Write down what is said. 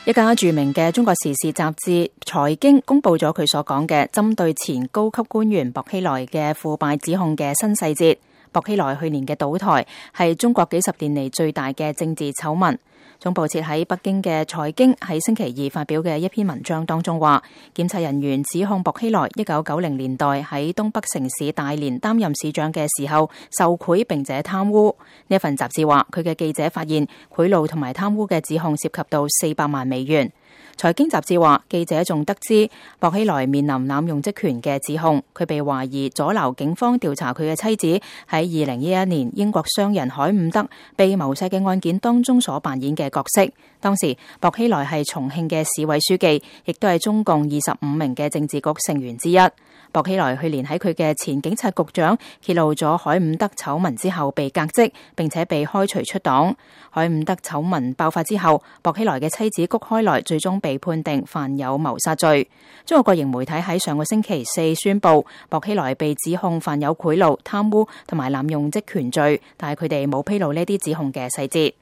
一家著名嘅中國時事雜誌《財經》公布咗佢所講嘅針對前高級官員薄熙來嘅腐敗指控嘅新細節。薄熙來去年嘅倒台係中國幾十年嚟最大嘅政治醜聞。總部設喺北京嘅《財經》喺星期二發表嘅一篇文章當中話，檢察人員指控薄熙來1990年代喺東北城市大連擔任市長嘅時候受賄並且貪污。呢份雜誌話，佢嘅記者發現賄賂同埋貪污嘅指控涉及到400萬美元。財經雜誌話，記者仲得知薄熙來面臨濫用職權嘅指控，佢被懷疑阻撓警方調查佢嘅妻子喺2011年英國商人海伍德被謀殺嘅案件當中所扮演嘅角色。當時薄熙來係重慶嘅市委書記，亦都係中共25名嘅政治局成員之一。薄熙來去年喺佢嘅前警察局長揭露咗海伍德醜聞之後被革職，並且被開除出黨。海伍德醜聞爆發之後，薄熙來嘅妻子谷開來最終被判定犯有謀殺罪。中國國營媒體喺上個星期四宣布，薄熙來被指控犯有賄賂、貪污同埋濫用職權罪，但係佢哋冇披露呢啲指控嘅細節。